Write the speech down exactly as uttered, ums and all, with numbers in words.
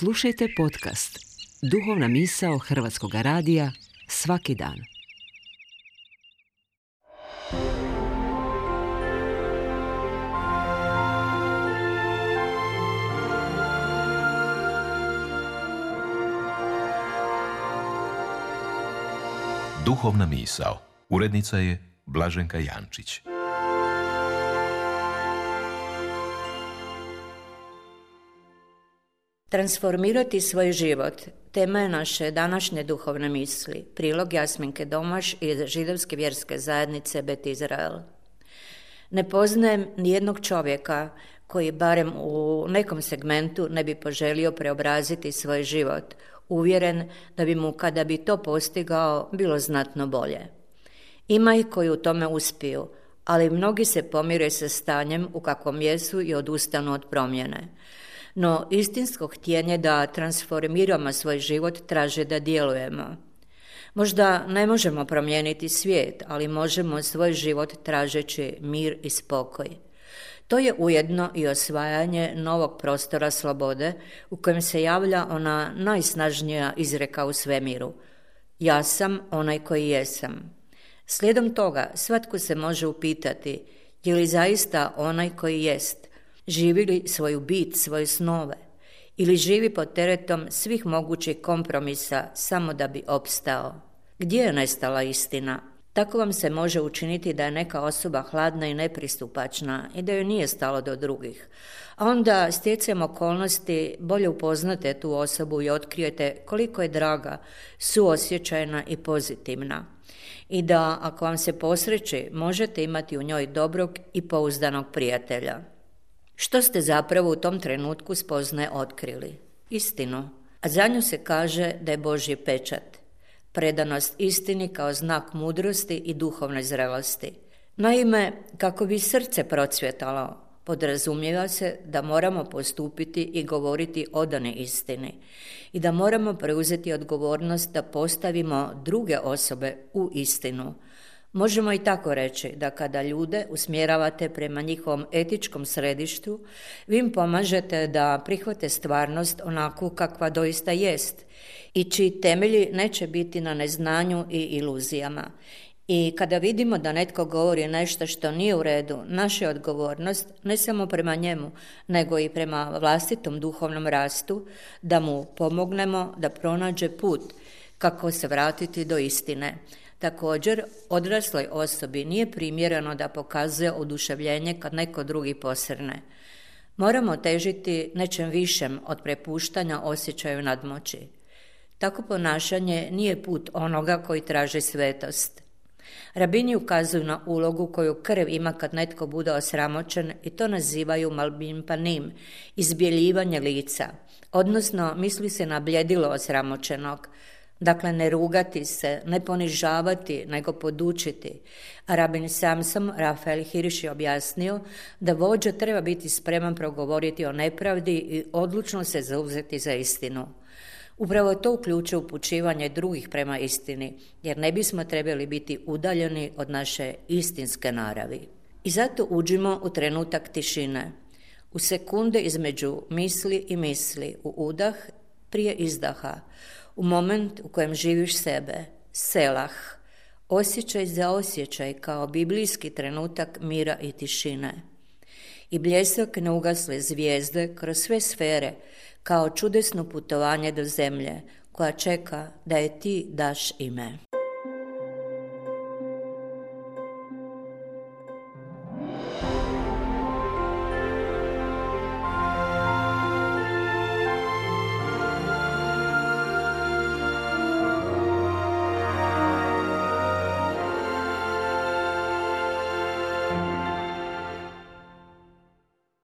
Slušajte podcast Duhovna misao Hrvatskog radija svaki dan. Duhovna misao. Urednica je Blaženka Jančić. Transformirati svoj život, tema je naše današnje duhovne misli. Prilog Jasminke Domaš iz židovske vjerske zajednice Bet Izrael. Ne poznajem nijednog čovjeka koji barem u nekom segmentu ne bi poželio preobraziti svoj život, uvjeren da bi mu kada bi to postigao bilo znatno bolje. Ima ih koji u tome uspiju, ali mnogi se pomire sa stanjem u kakvom jesu i odustanu od promjene. No istinsko htjenje da transformiramo svoj život traže da djelujemo. Možda ne možemo promijeniti svijet, ali možemo svoj život tražeći mir i spokoj. To je ujedno i osvajanje novog prostora slobode u kojem se javlja ona najsnažnija izreka u svemiru. Ja sam onaj koji jesam. Slijedom toga svatko se može upitati je li zaista onaj koji jest, živi li svoju bit, svoje snove, ili živi pod teretom svih mogućih kompromisa samo da bi opstao. Gdje je nestala istina? Tako vam se može učiniti da je neka osoba hladna i nepristupačna i da joj nije stalo do drugih. A onda stjecajem okolnosti bolje upoznate tu osobu i otkrijete koliko je draga, suosjećajna i pozitivna. I da, ako vam se posreći, možete imati u njoj dobrog i pouzdanog prijatelja. Što ste zapravo u tom trenutku spoznaje otkrili? Istinu. A za nju se kaže da je Božji pečat. Predanost istini kao znak mudrosti i duhovne zrelosti. Naime, kako bi srce procvjetalo, podrazumijeva se da moramo postupiti i govoriti odane istini i da moramo preuzeti odgovornost da postavimo druge osobe u istinu. Možemo i tako reći da kada ljude usmjeravate prema njihovom etičkom središtu, vi im pomažete da prihvate stvarnost onakvu kakva doista jest i čiji temelji neće biti na neznanju i iluzijama. I kada vidimo da netko govori nešto što nije u redu, naša je odgovornost ne samo prema njemu, nego i prema vlastitom duhovnom rastu, da mu pomognemo da pronađe put kako se vratiti do istine. Također, odrasloj osobi nije primjereno da pokazuje oduševljenje kad neko drugi posrne. Moramo težiti nečem višem od prepuštanja osjećaju nadmoći. Tako ponašanje nije put onoga koji traži svetost. Rabini ukazuju na ulogu koju krv ima kad netko bude osramoćen i to nazivaju malbim panim, izbjeljivanje lica, odnosno misli se na bljedilo osramoćenog. Dakle, ne rugati se, ne ponižavati, nego podučiti. A rabin Samson Rafael Hirsch je objasnio da vođa treba biti spreman progovoriti o nepravdi i odlučno se zauzeti za istinu. Upravo to uključuje upućivanje drugih prema istini, jer ne bismo trebali biti udaljeni od naše istinske naravi. I zato uđimo u trenutak tišine, u sekunde između misli i misli, u udah prije izdaha, u moment u kojem živiš sebe, selah, osjećaj za osjećaj kao biblijski trenutak mira i tišine. I bljesak neugasle zvijezde kroz sve sfere kao čudesno putovanje do zemlje koja čeka da je ti daš ime.